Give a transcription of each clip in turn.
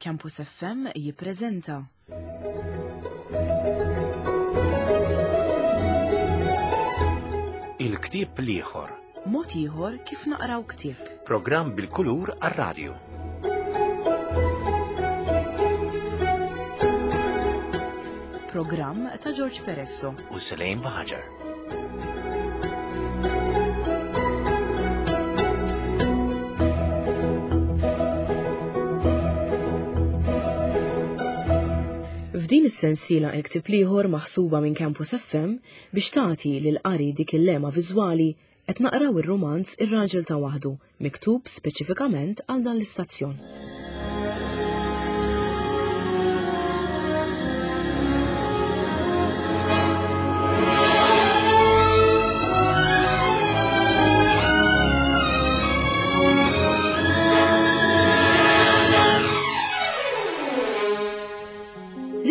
Campus FM jippreżenta. Il-ktieb l-ieħor. Mod ieħor kif naqraw ktieb. Programm bil-kulur għar-radju. Programm ta' George Peresso. U Selejn Baħaġar. F'din is-sensiela il-ktieb l-ieħor maħsuba minn Campus FM biex tagħti lil qari dik il-lema viżwali qed naqraw ir-rumanz Ir-Raġel ta' Waħdu miktub speċifikament għal dan l-istazzjon.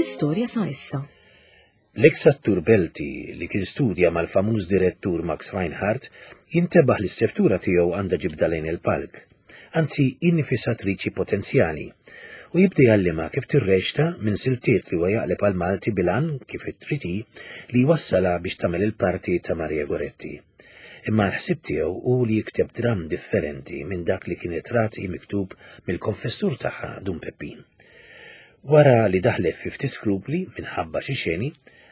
L-istorja sa issa. L-eks attur Belti, li kien studja mal-famuż direttur Max Reinhardt, jintebaħ li s-seftura tiegħu għandha ġibda lejn il-palk, anzi hi nifisha attriċi potenzjali, u jibda jgħallimha kif tirreċta minn siltiet li huwa jaqleb għall-Malti bil-għan, kif trid hi, li jwassalha biex tagħmel il-parti ta' Maria Goretti. Imma l-ħsieb tiegħu hu li jikteb dramm differenti minn dak li kienet rat hi miktub mill-konfessur tagħha Dun Peppin. Wara li daħlet fi ftit skrupli minħabba xi xeni,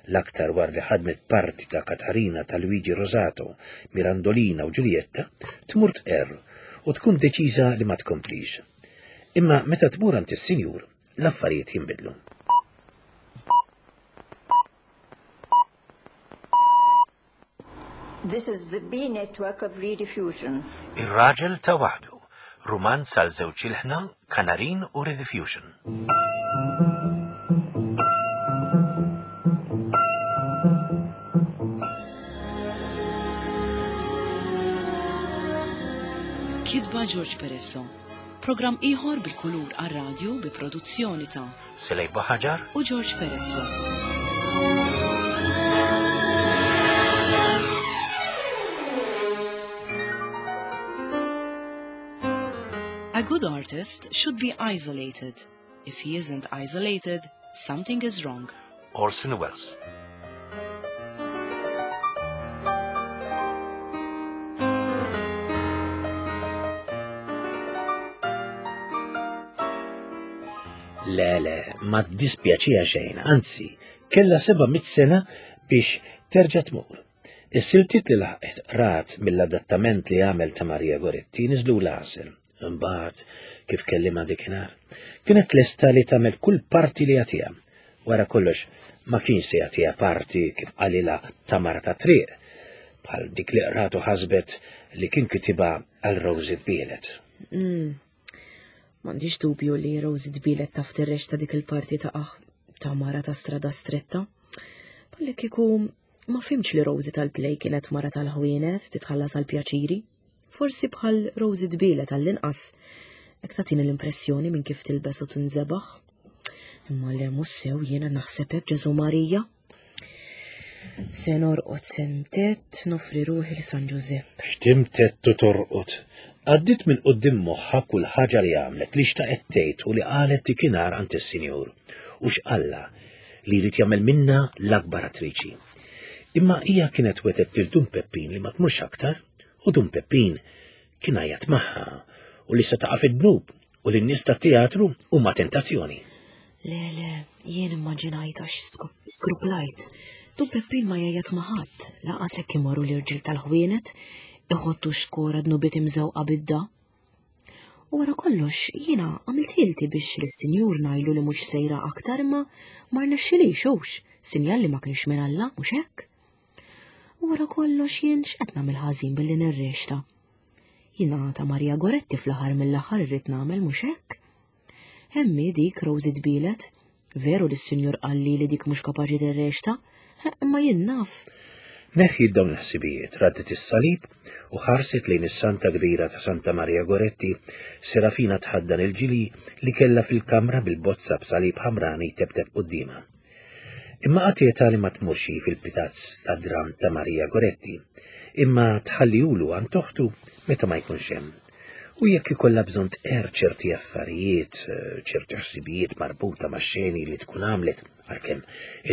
l-aktar wara li ħadmet parti ta' Katarina ta' Luigi Rosato, Mirandolina u Ġuljetta, tmur tqerr u tkun deċiża li ma tkomplix. Imma meta tmur għand is-sinjur, l-affarijiet jinbidlu. This is the B network of Rediffusion. Ir-Raġel ta' Waħdu, rumanz għal żewġ ilħna, Kanarin u Rediffusion. Kitba George Peresso. Programm ieħor bil-kulur għar-radju bi produzzjoni ta' Selej Buħaġar u George Peresso. A good artist should be isolated. If he isn't isolated, something is wrong. Orson Welles. Le, le, ma ddispjaċiha xejn, anzi, kellha 700 sena biex terġa' tmur. Is-siltiet li laħqet qrat mill-adattament li għamel ta' Maria Goretti niżlu l-għasel. Imbagħad, kif kellimha dikinhar, kienet lesta li tagħmel kull parti li jagħtiha. Wara kollox, ma kienx se jagħtiha parti kif qalilha ta' mara ta' triq, bħal dik li qratu ħasbet li kien kitibha għal Rosie Bielet. Mm. M'għandix dubju li Rosie tbielet taf tirreċta dik il-parti ta' aħ ta' mara ta' strada stretta. Palli kieku ma fimx li Rosie tal-play kienet mara tal-ħwienet titħallas għal pjaċiri. Forsi bħal Rosie tbielet għall-inqas. Hekk tagħtini l-impressjoni minn kif tilbes u tinżebaħ. Imma le mhux sew jiena naħseb hekk Ġesu Marija. Se norqod se ntett nofri ruħi l San Ġużepp. X'timtett u torqod. Għaddiet minn quddiem moħħha kull ħaġa li għamlet, li xtaqet tgħid u li qalet dikinhar għand is-Sinjur. U x'qalla li jrid jagħmel minnha l-akbar attriċi. Imma hija kienet wegħdet lil Dun Peppin li ma tmurx aktar u Dun Peppin kien għajjat magħha u li se taqa' fid-dnub u li n-nies tat-teatru huma tentazzjoni. Le, le, jien immaġinajt għax skruplajt. Dun Peppin ma jgħajjat ma' ħadd, laqas hekk imorru l-irġiel tal-ħwienet, iħottu xkora dnubiet imżewqa bidda. U wara kollox, jiena għamilt ħilti biex lis-sinjur ngħidlu li mhux sejra aktar imma ma rnexxilix hux, sinjal li ma kienx minn Alla, mhux hekk? U wara kollox jien x'qed nagħmel ħażin billi nirrexta. Jiena ta' Maria Goretti fl-aħħar mill-aħħar irrid nagħmel mhux hekk? Hemm hi dik Rosie tbielet. Veru li s-sinjur qalli li dik mhux kapaċi tirrexta, imma jien naf. Neħħiet dawn il-ħsibijiet, raddet is-salib u ħarset lejn is-santa kbira ta' Santa Maria Goretti, Serafina tħaddan il-ġili li kellha fil-kamra bil-bozza b'salib ħamrani tebteb quddiemha. Imma qatietha li ma tmurx hi fil-pitazz tad-dramm ta' Maria Goretti, imma tħallihulu għand oħtu meta ma jkunx hemm. U jekk ikollha bżonn tqerr ċerti affarijiet, ċerti ħsibijiet marbuta ma' xeni li tkun għamlet, għalkemm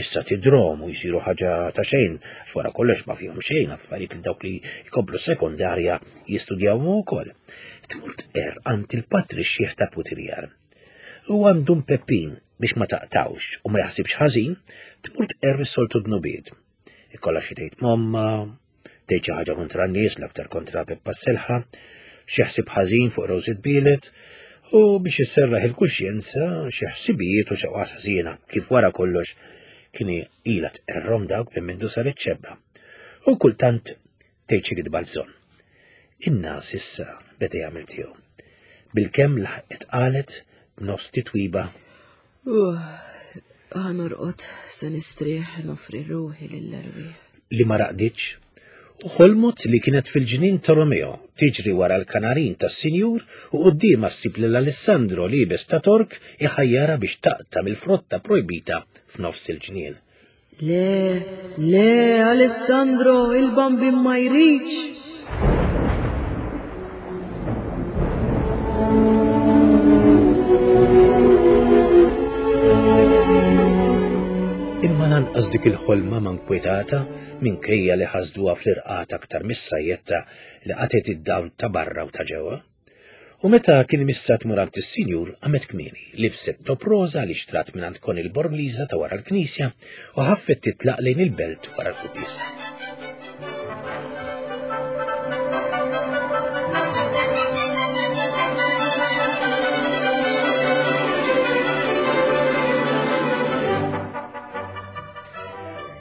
issa tidrom u jsiru ħaġa ta' xejn, għax wara kollox ma fihom xejn affarijiet li dawk li jkomplu sekondarja jistudjawhom ukoll. Tmur tqerr għand il-patri x-xiħ ta' Putirjar. U għandu Peppin biex ma taqtawx u ma jaħsibx ħażin, tmur tqerr is-soltu dnubiet. Ikollha xi tgħid momma, tgħid xi ħaġa kontra n-nies, l-aktar kontra Peppa Selħa, xi ħsieb ħażin fuq Rosie Tbielet, u biex isserraħ il-kuxjenza xi ħsibijiet u xewqat ħżiena, kif wara kollox kien ilha tqerrhom dawk minn mindu saret xebba. U kultant tgħid xi kitba l-bżonn. In-nas issa beda jagħmel tiegħu. Bilkemm laħqet qalet b'nofs titwiba. Ħa norqod se nistrieħ nofri ruħi lill-erwieħ. Li ma raqditx u ħolmot li kienet fil-ġnien ta' Romeo tiġri wara l-kanarin tas-sinjur u quddiemha ssib lil Alessandro liebes ta' Tork iħajjarha biex taqta' mill-frotta projbita f'nofs il-ġnien. Le, le, Alessandro, il-bambin ma jridx. Imma lanqas dik il-ħolma ma nkwetata minkejja li ħasduha fl-irqat aktar mis-sajjetta li qatgħet id-dawl ta' barra u ta' ġewwa. U meta kien imissha tmur għand is-sinjur, qamet kmieni, libset top roża li xtrat mingħand Connie l-Bormliża ta' wara l-knisja u ħaffet titlaq lejn il-belt wara l-quddiesa.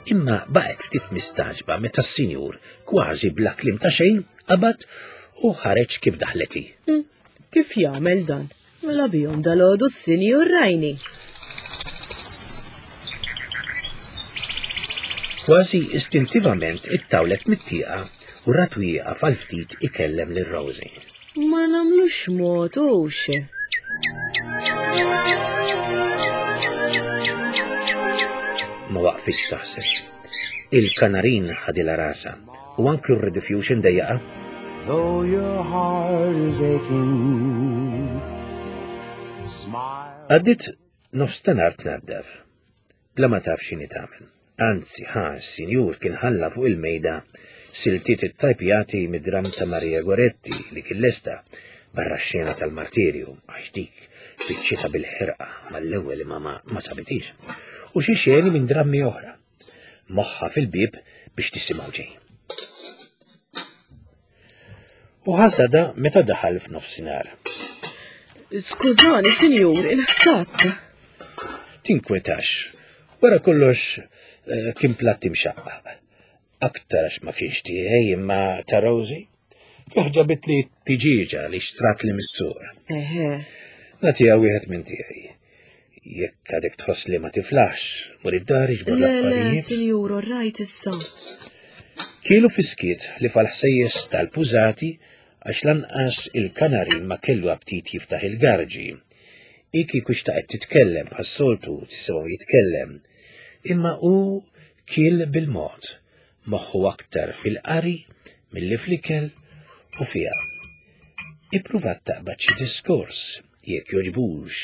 Imma baqgħet ftit mistagħġba meta s-sinjur, kważi bla kliem ta' xejn, qabad u ħareġ kif daħlet hi. Hmm, kif jagħmel dan? Mela bihom dal-għodu s-sinjur rajni. Kważi istintivament ittawlet mit-tieqa u rat wieqaf għal ftit ikellem lil Rosie. Ma nagħmlux mod hux. Ma waqfitx taħseb. Il-kanarin ħadilha rasha u anki r-rediffusion dejjaqa. Though your heart is aching, smile. Għaddit nofs ta' nar tnaddaf, bla ma taf x'inhi tagħmel. Anzi, ħa, s-sinjur kien ħalla fuq il-mejda siltiet ittajpjati mid-dramm ta' Maria Goretti li kien lesta barra x-xena tal-martirju għax dik fiċċita bil-ħerqa mal-ewwel imma ma, ma sabitix. U xi xeni minn drammi oħra. Moħħa fil-bieb biex tisimgħu ġej. U ħasada meta daħal f'nofsinhar. Skużani, sinjur, il-ħsat. Tinkwetax. Wara kollox eh, kien platt imxaqqaq. Aktar għax ma kienx tiegħi imma ta' Rosie. Fih ġabit li tiġiġa li xtrat li mis-sur. Eħe. Nagħtiha wieħed minn tiegħi. Jekk għadek tħoss li ma tiflaħx, mur id-dar iġbor l-affarijiet. Le, sinjur, rajt issa. Kielu fiskiet li fal-ħsejjes tal-pużati għax lanqas il-kanarin ma kellu aptit jiftaħ il-garġi. I kieku xtaqet titkellem bħas-soltu tisimgħu jitkellem. Imma hu kiel bil-mod, moħħu aktar fil-qari milli fl-ikel u fiha. Ippruvat taqbad xi diskors, jekk jogħġbux,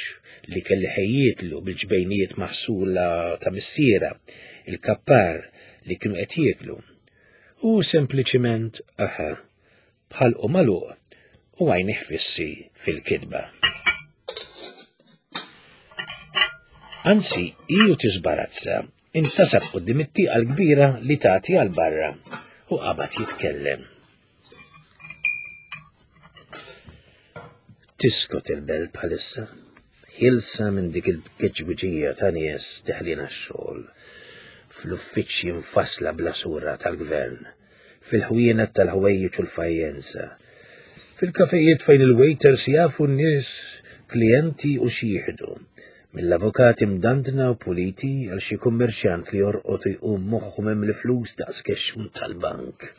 li kelli ħejjietlu bil-ġbejnijiet maħsula ta' missiera, il-kappar li kienu qed jieklu. U sempliċiment aha, bħalqu magħluq u għajnih fissi fil-kitba. Anzi, hi u tiżbarazza, intasab quddiem it-tieqa l-kbira li tagħti għal barra u qabad jitkellem. Tiskot il-belt bħalissa, ħielsa minn dik il-geġwiġija ta' nies deħlin għax-xogħol, fl-uffiċċji mfassla bla sura tal-gvern, fil-ħwienet tal-ħwejjeġ u l-fajjenza, fil-kafejiet fejn il-waiters jafu n-nies klijenti u x'jieħdu, mill-avukati mdandna u puliti għal xi kummerċjant li jorqod u jqum moħħu mimli flus daqs kexxun tal-bank,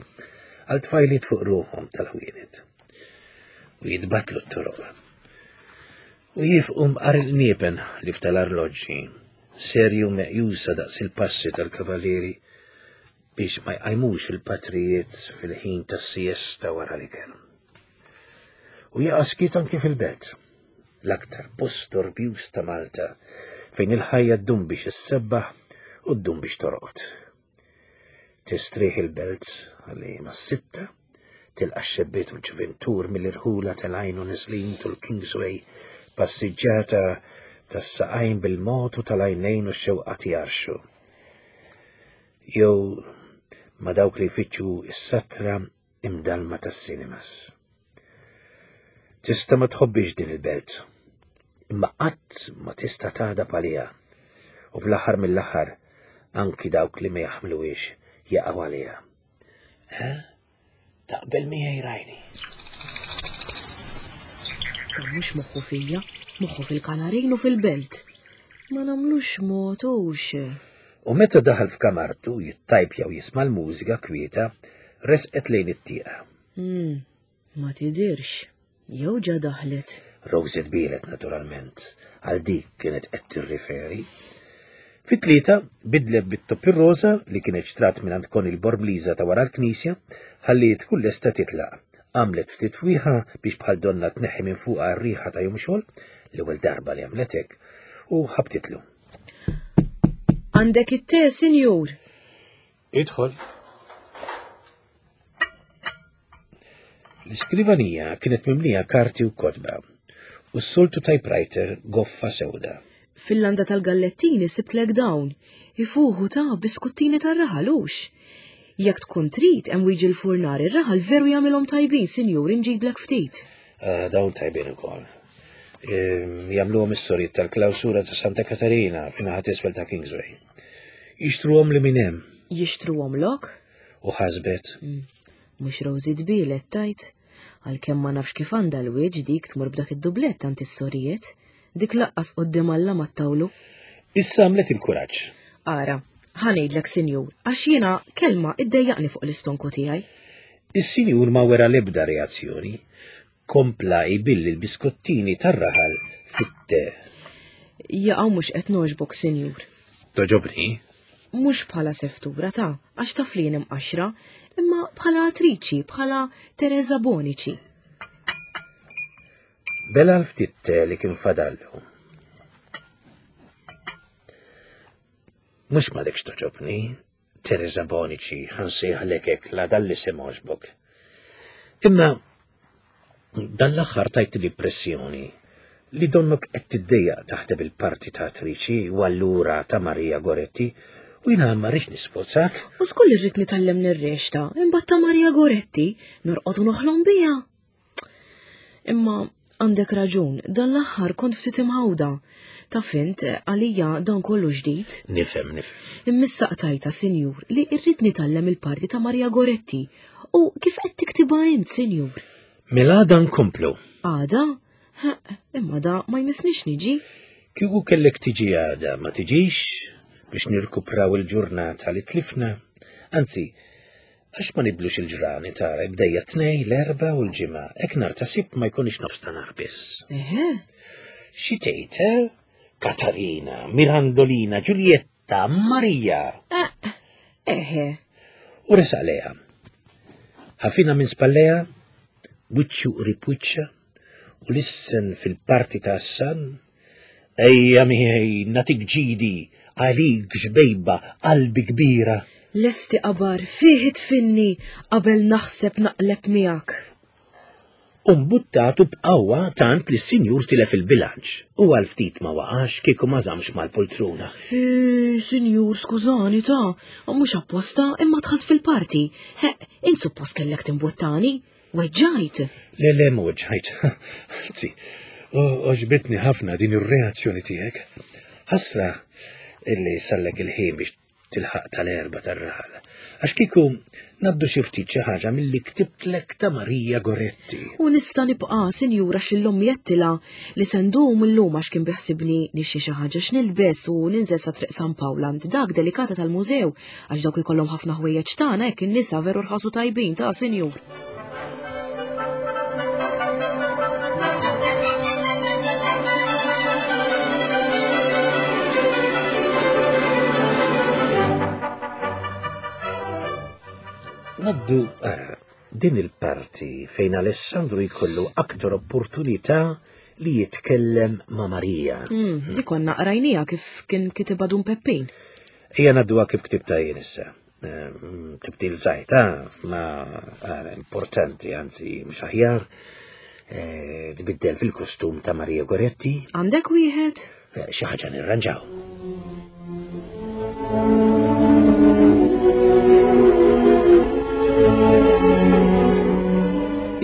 għal tfajliet fuq ruħhom tal-ħwienet. U jitbatlu t-toroq. U jifqu mqar il-qniepen li ftal-arloġġi, serju meqjusa daqs il-passi tal-kavalieri biex ma jqajmux il-patrijiet fil-ħin tas-siesta wara l-ikel. U jaqa' skiet anki fil-belt. L-aktar post storbjuż ta' Malta, fejn il-ħajja ddum biex issebbaħ u ddum biex torqod. Tistrieħ il-belt għalli mas-sitta, tilqa' x-xebbiet u l-ġuventur mill-irħula telgħin u neżlin tul Kingsway, passiġġata tas-saqajn bil-mod u tal-għajnejn u x-xewqat jgħarrxu. Jew ma' dawk li jfittxu s-satra imdallma tas-cinemas. Tista' ma tħobbix din il-belt, imma qatt ma tista' tagħdab għaliha. U fl-aħħar mill-aħħar anki dawk li ma jaħmluhiex jaqgħu għaliha. Eh? Taqbel miegħi rajni. Dan mhux moħħu fija, moħħu fil-kanarin u fil-belt. Ma nagħmlux mod hux. U meta daħal f'kamartu jittajpja u jisma' l-mużika kwieta, resqet lejn it-tieqa. Hmm, ma tidirx. Jew ġa daħlet. Rosie tbielet naturalment, għal dik kienet qed tirriferi. Fit-tlieta bidlet bit-top ir-roża li kienet xtrat mingħand Connie l-Bormliża ta' wara l-knisja ħalli tkun lesta titlaq. Għamlet ftit fwieħa biex bħal donna tneħħi minn fuqha r-riħa ta' jum xogħol, l-ewwel darba li għamlet hekk, u ħabtitlu. Għandek it-te, sinjur? Idħol. L-iskrivanija kienet mimlija karti u kotba u s-soltu typewriter goffa sewda. Fil-landa tal-gallettini sibtlek dawn, ifuħu ta' biskuttini tar-raħal hux. Jekk tkun trid hemm wiġi l-furnar ir-raħal veru jagħmilhom tajbin, sinjur, inġiblek ftit. Ah, dawn tajbin ukoll. Ehm, jagħmluhom is-sorijiet tal-klawsura ta' Santa Katarina fin-naħa t'isfel ta' Kingsway. Jixtruhom li minn hemm. Jixtruhom lok? U ħasbet. Mm. Mhux Rosie tbielet tajt, għalkemm ma nafx kif għandha l-wieġ dik tmur b'dak id-dublett għand is-sorijiet, dik laqqas quddiem Alla ma ttawlu. Issa għamlet il-kuraġġ. Ara, ħa ngħidlek sinjur, għax jiena kelma iddejjaqni fuq l-istonku tiegħi. Is-sinjur ma wera l-ebda reazzjoni. Kompla jbill il-biskottini tar-raħal fit-te. Jaqaw mhux qed nogħġbok, sinjur. Toġobni? Mhux bħala seftura ta' għax taf li jien imqaxra, imma bħala attriċi, bħala Teresa Bonici. Bela l-ftit te li kien fadallu. Mhux m'għadekx toġobni, Teresa Bonici, ħa nsejħlek hekk la dan l-isem għoġbok. Imma dan l-aħħar tajt l-impressjoni li donnok qed tiddejjaq taħdem il-parti ta' attriċi u allura ta' Maria Goretti u jiena ma rridx nisforzak. U żgur li rrid nitgħallem nirrexta, imbagħad ta' Maria Goretti norqod u noħlom biha. Imma għandek raġun, dan l-aħħar kont ftit imħawda. Taf int, għalija dan kollu ġdid. Nifhem, nifhem. Immissa qtajta, sinjur, li irrid nitgħallem il-parti ta' Maria Goretti. U kif qed tiktibha int, sinjur? Mela għada nkomplu. Għada? Imma da ma jmissnix niġi. Kieku kellek tiġi għada, ma tiġix biex nirkupraw il-ġurnata li tlifna. Anzi, Għax ma nibdlux il-ġrani tara bdejja t-Tnejn, l-Erbgħa u l-Ġimgħa, hekk nhar ta' Sibt ma jkunx nofs ta' nhar biss. Eħe. Xi tgħid, eh? Katarina, Mirandolina, Ġuljetta, Marija. Eh, eħe. U resaq lejha. Ħafina minn spalleja, wiċċu qrib wiċċha, u lissen fil-parti ta' Hassan, Ejja miegħi nagħtik ġidi, għalik ġbejba, qalbi kbira. Lesti qabar fih idfinni qabel naħseb naqleb miegħek. U mbuttatu b'qawwa tant li s-sinjur tilef il-bilanċ u għal ftit ma waqax kieku ma żammx mal-pultruna. Hi, sinjur, skużani ta, mhux apposta imma dħalt fil-parti. Ħeqq, int suppost kellek timbuttani. Weġġajt? Le, le, ma weġġajt. Anzi, oġbitni ħafna din ir-reazzjoni tiegħek. Ħasra illi sallek il-ħin biex tilħaq tal-erba tar-raħal. Għax kieku naddu xi ftit xi ħaġa milli ktibtlek ta' Marija Goretti. U nista' nibqa' sinjura x'illum jettila li se ndum illum għax kien biħsibni nixxi xi ħaġa x'nilbes u ninżel sa Triq San Pawl għand dak delikata tal-mużew Għax dawk ikollhom ħafna ħwejjeġ tagħna hekk in-nisa veru rħasu tajbin ta' sinjur. Naddu, ara, Din il-parti fejn Alessandro jkollu aktar opportunità li jitkellem ma' Marija. Mm, di konna qrajnija kif kien kitibha Dun Peppin. Ejja ngħadduha kif ktibta jien issa. Ehm, tibdil żgħir, ma eh, importanti, anzi mhux aħjar, eh, tbiddel fil-kostum ta' Maria Goretti. Għandek wieħed? Eh, xi ħaġa nirranġaw.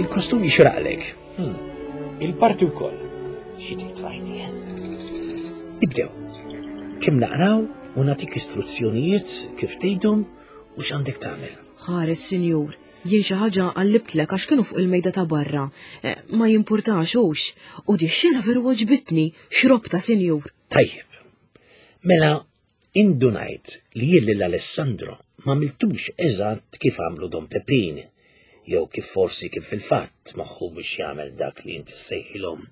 Il-kostum jixraqlek. Hmm. Il-parti wkoll. Xi tgħid Nibdew. Kemm naqraw u nagħtik istruzzjonijiet kif tgħidhom u x'għandek tagħmel. Ħares, sinjur, jien xi ħaġa qallibtlek għax kienu fuq il-mejda ta' barra. Eh, ma jimpurtax hux. U di xena veru għoġbitni, xrobta, sinjur. Tajjeb. Mela, indunajt li jien lil Alessandro ma miltux eżatt kif għamlu Don Peppin, jew kif forsi kif fil-fatt moħħu biex jagħmel dak li inti ssejħilhom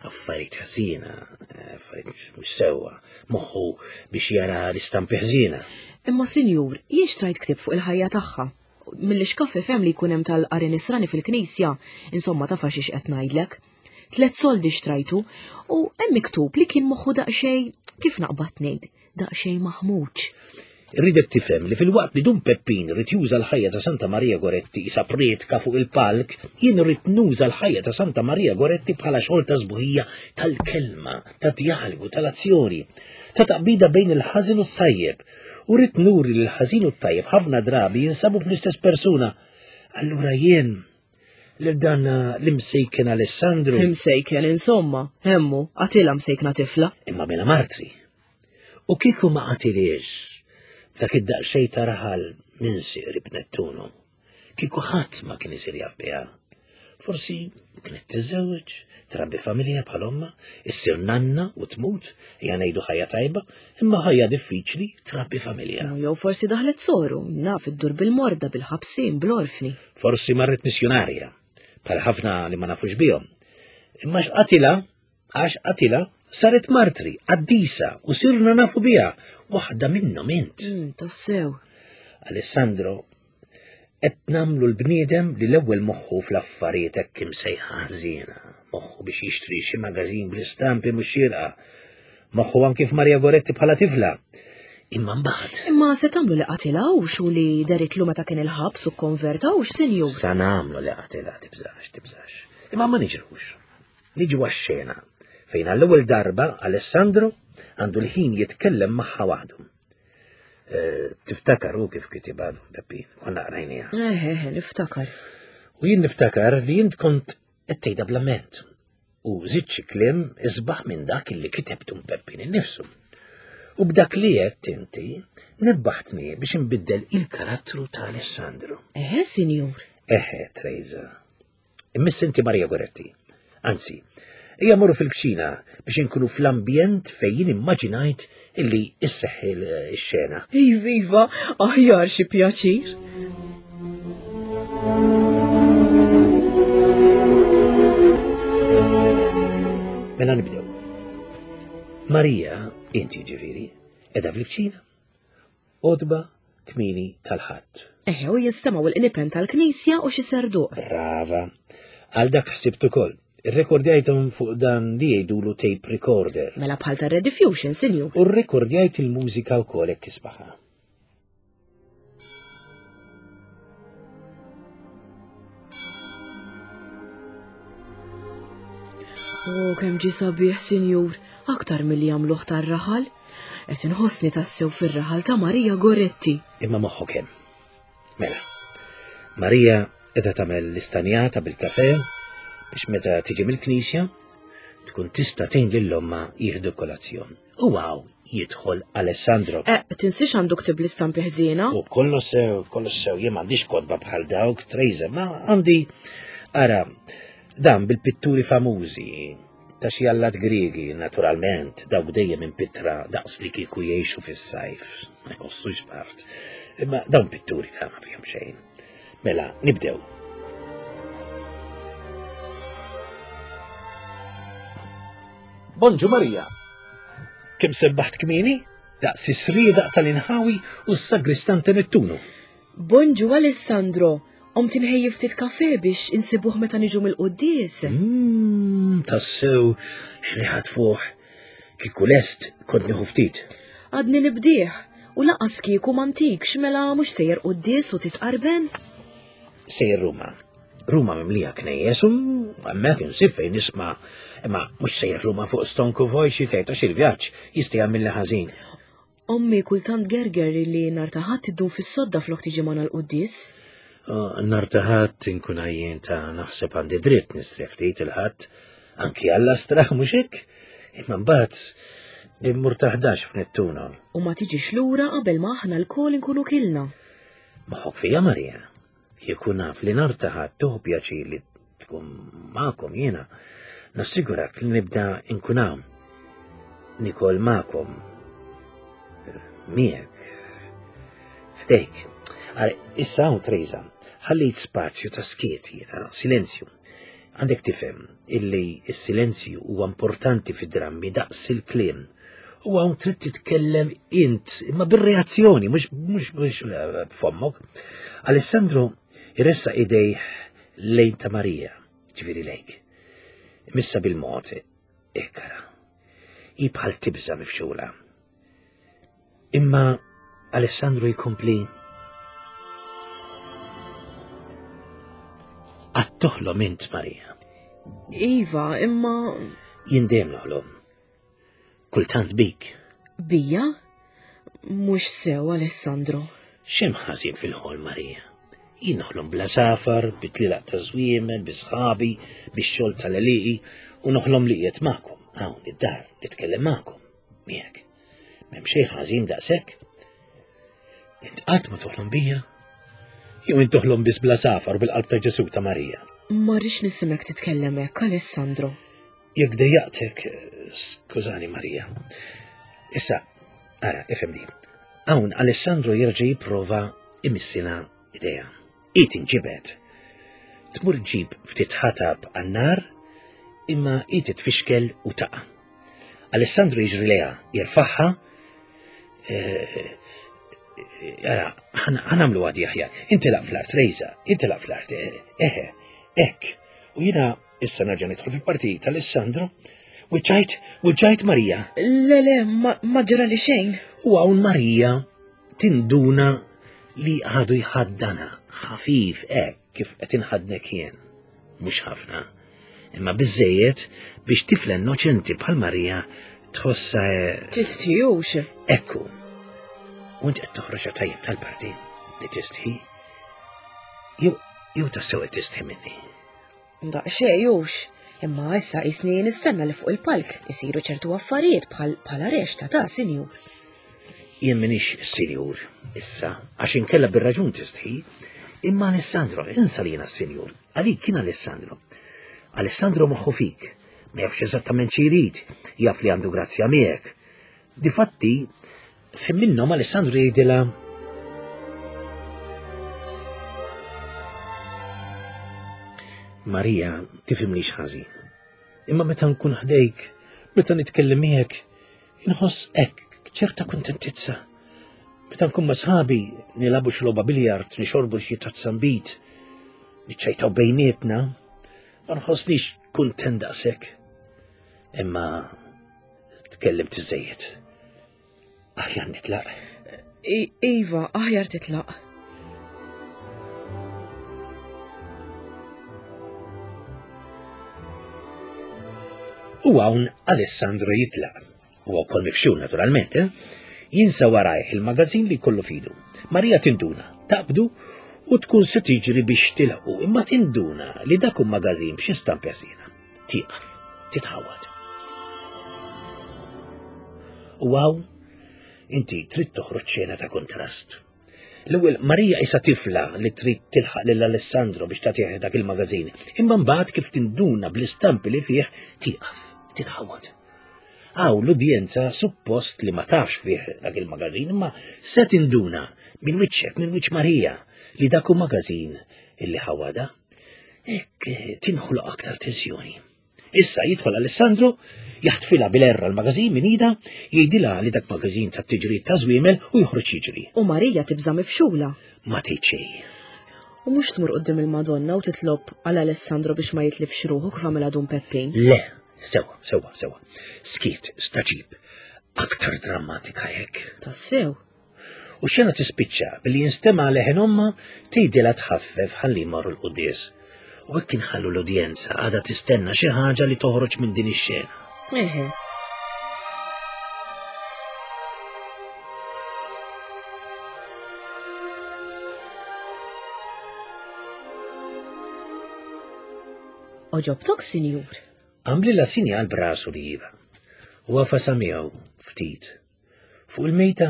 affarijiet ħżiena, affarijiet mhux sewwa, moħħu biex jara l-istampi ħżiena. Imma sinjur, jien xtrajt ktieb fuq il-ħajja tagħha. Milli xkaffi fem li jkun hemm tal-qari nisrani fil-knisja, insomma taf għax qed ngħidlek. Tlet soldi xtrajtu u hemm miktub li kien moħħu daqsxejn kif naqbad ngħid, daqsxejn maħmuġ. Irridek tifhem li filwaqt li Dun Peppin ried juża l-ħajja ta' Santa Maria Goretti isa prietka fuq il-palk, jien irrid nuża l-ħajja ta' Santa Maria Goretti bħala xogħol ta' sbuħija tal-kelma, ta' djalogu, tal-azzjoni, ta' taqbida bejn il-ħażin u t-tajjeb. U rrid nuri li l-ħażin u t-tajjeb ħafna drabi jinsabu fl-istess persuna. Allura jien lil dan l-imsejken Alessandru. Imsejken, insomma, hemmu, qatilha msejkna tifla. Imma mela martri. U kieku ma qatilhiex f'dak id-daqsxejn ta' raħal minsi qrib Nettuno, kieku ħadd ma kien isir jaf biha. Forsi kienet tiżżewweġ, trabbi familja bħal ommha, issir nanna u tmut, ejja ngħidu ħajja tajba, imma ħajja diffiċli trabbi familja. Jew forsi daħlet soru, naf iddur bil-morda, bil-ħabsin, bl-orfni. Forsi marret missjunarja, bħal ħafna li ma nafux bihom. Imma x'qatilha Għax qatilha, saret martri, qaddisa, u sirna nafu biha, waħda minnhom int. Mm, tassew. Alessandro, qed nagħmlu l-bniedem li l-ewwel moħħu fl-affarijiet hekk imsejħa ħżiena, moħħu biex jixtri xi magażin bl-istampi mhux xierqa, moħħu anki f'Maria Goretti bħala tifla. Imma mbagħad. Imma se tagħmlu li qatilha hux u li deritlu meta kien il-ħabs u kkonverta hux, sinjur? Sa nagħmlu li qatilha tibżax, tibżax. Imma ma niġrux. Niġu għax-xena fejn għall-ewwel darba Alessandro għandu l-ħin jitkellem magħha waħdu. Eh, tiftakar u kif kitibha Peppin, konna qrajniha. Eh, eh, niftakar. U jien niftakar li jint kont qed tgħidha bl-amment u żidt xi kliem isbaħ minn dak li kiteb Dun Peppin innifsu. U b'dak li għedt inti nebbaħtni biex inbiddel il-karattru ta' Alessandro. Eħe, sinjur. Eħe, Trejza. Immiss inti Maria Goretti. Anzi, ejja morru fil-kċina biex inkunu fl-ambjent fejn jien immaġinajt illi isseħħ ix-xena. Iva, iva, aħjar xi pjaċir. Mela nibdew. Marija, inti ġifieri, edha fil-kċina Għodba kmieni tal-Ħadd. Eħe, u jinstemgħu l-qniepen tal-knisja u xi serduq. Brava. Għal dak ħsibt ukoll. Irrekordjajthom fuq dan li jgħidulu tape recorder. Mela bħal ta' Rediffusion, sinjur. U rrekordjajt il-mużika wkoll hekk isbaħha. O, kemm ġie sabiħ, sinjur, aktar milli jagħmluh tar-raħal. Qed inħossni tassew fir-raħal ta' Marija Goretti. Imma moħħok hemm. Mela, Marija qiegħda tagħmel l-istanjata bil-kafe biex meta tiġi mill-knisja tkun tista' tgħin lil ommha jieħdu kolazzjon. U għaw jidħol Alessandro. Eh, tinsiex għandu ktib l-istampi ħżiena. U kollu sew, kollu sew, jien m'għandix kotba bħal dawk, Trejza, ma għandi ara dan bil-pitturi famużi ta' xi allat Griegi, naturalment, dawk dejjem impittra daqs li kieku jgħixu fis-sajf, ma jħossux bart. Imma dawn pitturi ta' ma fihom xejn. Mela, nibdew. Bonġu Marija. Kemm sebbaħt kmieni? Daqs is-sriedaq tal-inħawi u s-sagristan ta' Nettunu. Bonġu Alessandro. Qomt inħejji ftit kafe biex insibuh meta niġu mill-quddies. Mm, tassew x'riħa tfuħ. Kieku lest kont nieħu ftit. Għadni nibdih u laqas kieku m'antikx mela mhux sejjer quddies u titqarben. Sejjer Ruma. Ruma mimlija knejjes u hemmhekk insib fejn nisma' imma mhux sejjer Ruma fuq stonku voj xi tgħid għax il-vjaġġ jista' jagħmilli ħażin. Ommi kultant tgerger li nhar ta' Ħadd iddum fis-sodda flok tiġi magħna l-quddies. Oh, nhar ta' Ħadd inkun għajjien ta' naħseb għandi dritt nistrieħ ftit il-Ħadd. Anki Alla straħ mhux hekk? Imma mbagħad immur ta' 11 f'Nettuno. U ma tiġix lura qabel ma aħna lkoll inkunu kilna. Moħħok fija Marija. Kieku naf li nhar ta' Ħadd tieħu pjaċir li tkun magħkom jiena, nassigurak li nibda nkun hawn. Nikol magħkom. Miegħek. Ħdejk. Ara, issa hawn Trejza, ħallejt spazju ta' skiet jiena, silenzju. Għandek tifhem illi s-silenzju huwa importanti fid-drammi daqs il-kliem. U hawn trid titkellem int, imma bir-reazzjoni, mhux mhux mhux eh, b'fommok. Alessandro iressa idejh lejn ta' Marija, ġifieri lejk. Missa bil-mod, ikkara. Hi bħal tibża mifxula. Imma Alessandro jkompli Għad toħlom int, Marija. Iva, imma. Jien dejjem noħlom. Kultant bik. Bija? Mhux sew, Alessandro. X'hemm ħażin fil-ħolm, Marija? Jien noħlom bla safar, bit-tlilaq ta' żwiemel, bi sħabi, bix-xogħol tal-għelieqi, u noħlom li qiegħed magħkom, hawn id-dar, nitkellem magħkom, miegħek. M'hemm xejn ħażin daqshekk. Int qatt ma toħlom bija? Jew int toħlom biss bla safar bil-qalb ta' Ġesu ta' Marija? Ma rridx nisimek titkellem hekk, Alessandro. Jekk dejjaqtek, skużani Marija. Issa, ara, ifhimni. Hawn Alessandro jerġa' jipprova imissina idea. Hi tinġibed. Tmur ġġib ftit ħatab għan-nar, imma hi titfixkel u taqa'. Alessandro jiġri lejha, jirfaħħa. Eh, ara, ħanamlu għadi aħjar. Intilaq fl-art, Rejza, intilaq fl-art, eh, eħe, hekk. U jiena issa nerġa' nidħol fil-parti tal-Alessandro. Wiċċajt, wiċċajt Marija. Le, le, ma ġra li xejn. U hawn Marija tinduna li għadu jħaddana ħafif hekk kif qed inħaddnek jien. Mhux ħafna, imma biżejjed biex tifla innoċenti bħal Marija tħossha eh, Tistħijux. Ekku. U int qed toħroġ tajjeb tal-parti li tistħi. Jew jew tassew qed tistħi minni. Daqsxejn hux, imma issa qisni nistenna li fuq il-palk isiru ċertu affarijiet bħal bħala rexta ta' sinjur. Jien minix sinjur issa, għax inkella bir-raġun tistħi, imma Alessandro, insa li jiena sinjur, għalik kien Alessandro. Alessandro moħħu fik, ma jafx eżattament xi jrid, jaf li għandu grazzja miegħek. Difatti, f'ħin minnhom Alessandro jgħidilha Marija, tifhimnix ħażin. Imma meta nkun ħdejk, meta nitkellem miegħek, inħoss hekk ċerta kuntentizza. Meta nkun ma' sħabi, nilagħbu xi logħba biljard, nixorbu xi tazza nbid, niċċajtaw bejnietna, ma nħossnix kuntent daqshekk. Imma Tkellimt iżejjed. Aħjar nitlaq. Iva, aħjar titlaq. U hawn Alessandro jitlaq. U wkoll mifxul naturalment, eh? Jinsa warajh il-magazin li kollu fidu. Marija tinduna, taqbdu u tkun se tiġri biex tilħu, imma tinduna li dak hu magazin b'xi stampi ħsiena. Tieqaf, titħawad. U hawn inti trid toħroġ xena ta' kontrast. L-ewwel Marija isa tifla li trid tilħaq lil Alessandro biex tagħtih dak il-magażin, imma mbagħad kif tinduna bl-istampi li fih tieqaf, titħawad. Hawn l-udjenza suppost li ma tafx fih dak il-magażin, imma se tinduna minn wiċċek, minn wiċċ Marija li dak hu magażin illi ħawada. Hekk eh, tinħloq aktar tensjoni. Issa jidħol Alessandro, jaħtfilha bil-erra l-magażin minn ida, jgħidilha li dak magażin ta' tiġrid ta' żwiemel u joħroġ jiġri. U Marija tibża' mifxula. Ma tgħid xejn. U mhux tmur quddiem il-Madonna u titlob għal Alessandro biex ma jitlifx ruħu kif għamilha Dun Peppin. Le, sewa, sewa, sewa. Skiet, staġib. Aktar drammatika hekk. Tassew. U xena tispiċċa billi jinstema' leħen omma tgħidilha tħaffef ħalli jmorru l-quddies. U hekk inħallu l-udjenza għadha tistenna xi ħaġa li toħroġ minn din ix-xena. Eħe. Oġobtok, sinjur? Għamlilha sinjal b'rasu li iva. U għafasa miegħu ftit. Fuq il-mejta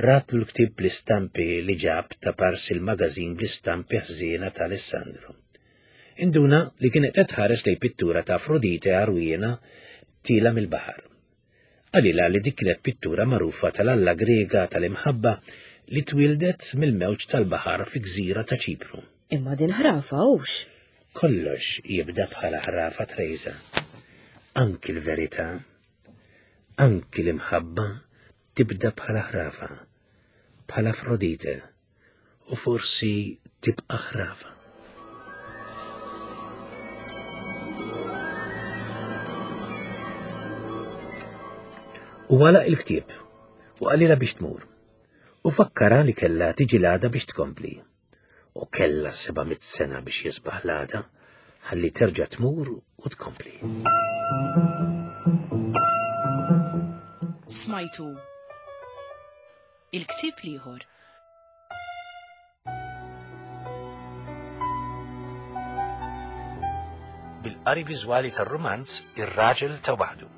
ratlu l-ktieb bl-istampi li ġab ta' parsi l-magażin bl-istampi ħżiena ta' Alessandro. Induna li kienet qed tħares lejn pittura ta' Afrodite għarwiena tiela' mill-baħar. Qalilha li dik kienet pittura magħrufa tal-alla Griega tal-imħabba li twieldet mill-mewġ tal-baħar fi gżira ta' Ċipru. Imma din ħrafa hux? Kollox jibda bħala ħrafa Trejża. Anki l-verità. Anki l-imħabba tibda bħala ħrafa, bħala Afrodite, u forsi tibqa' ħrafa. U għalaq il-ktieb u qalilha biex tmur. U fakkarha li kellha tiġi l-għada biex tkompli. U kellha 700 sena biex jisbaħ l-għada ħalli terġa' tmur u tkompli. Smajtu il-ktieb l-ieħor. Bil-qari viżwali tar-rumanz Ir-Raġel ta' Waħdu.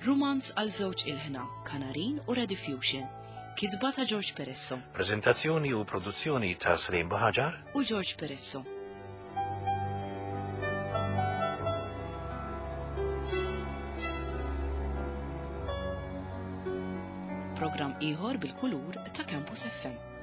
Rumanz għal żewġ ilħna, Kanarin u Rediffusion. Kitba ta' George Peresso. Preżentazzjoni u produzzjoni ta' Slim Buħaġar u George Peresso. Programm ieħor bil-kulur ta' Campus FM.